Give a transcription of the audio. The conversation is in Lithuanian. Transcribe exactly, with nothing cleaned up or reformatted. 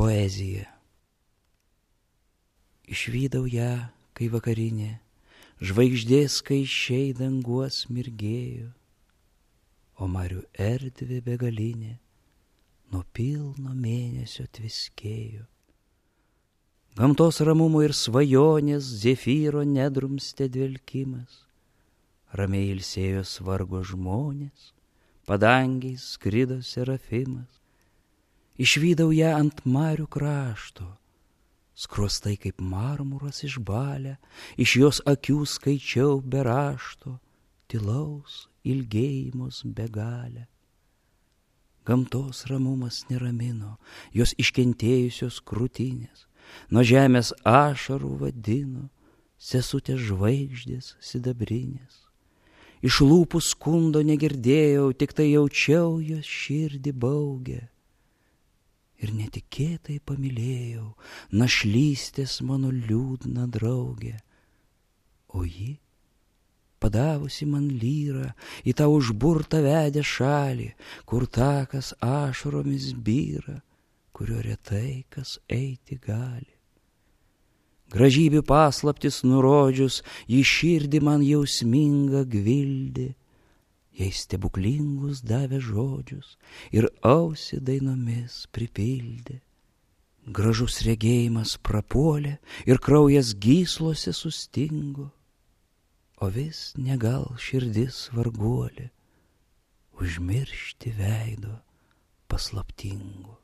Poezija. Išvydau ją, kai vakarinė, žvaigždės skaičiai danguos mirgėjo, o marių erdvė begalinė nuo pilno mėnesio tviskėjo. Gamtos ramumo ir svajonės zefyro nedrumstė dvelkimas, ramiai ilsėjo svargo žmonės, padangiai skrido serafimas. Išvydau ją ant marių krašto, skruostai kaip marmuras išbalę, iš jos akių skaičiau be rašto, tylaus ilgėjimus begalę. Gamtos ramumas neramino, jos iškentėjusios krūtinės, nuo žemės ašarų vadino, sesutės žvaigždės sidabrinės. Iš lūpų skundo negirdėjau, tik tai jaučiau jos širdį baugę. Ir netikėtai pamylėjau našlystės mano liūdną draugę. O ji, padavusi man lyrą į tą užburtą vedę šalį, kur takas ašaromis byra, kurio retai kas eiti gali. Gražybių paslaptis nurodžius, ji širdį man jausmingą gvildė, jai stebuklingus davė žodžius ir ausį dainomis pripildė. Gražus regėjimas prapuolė ir kraujas gyslose sustingo, o vis negal širdis varguolė užmiršti veido paslaptingo.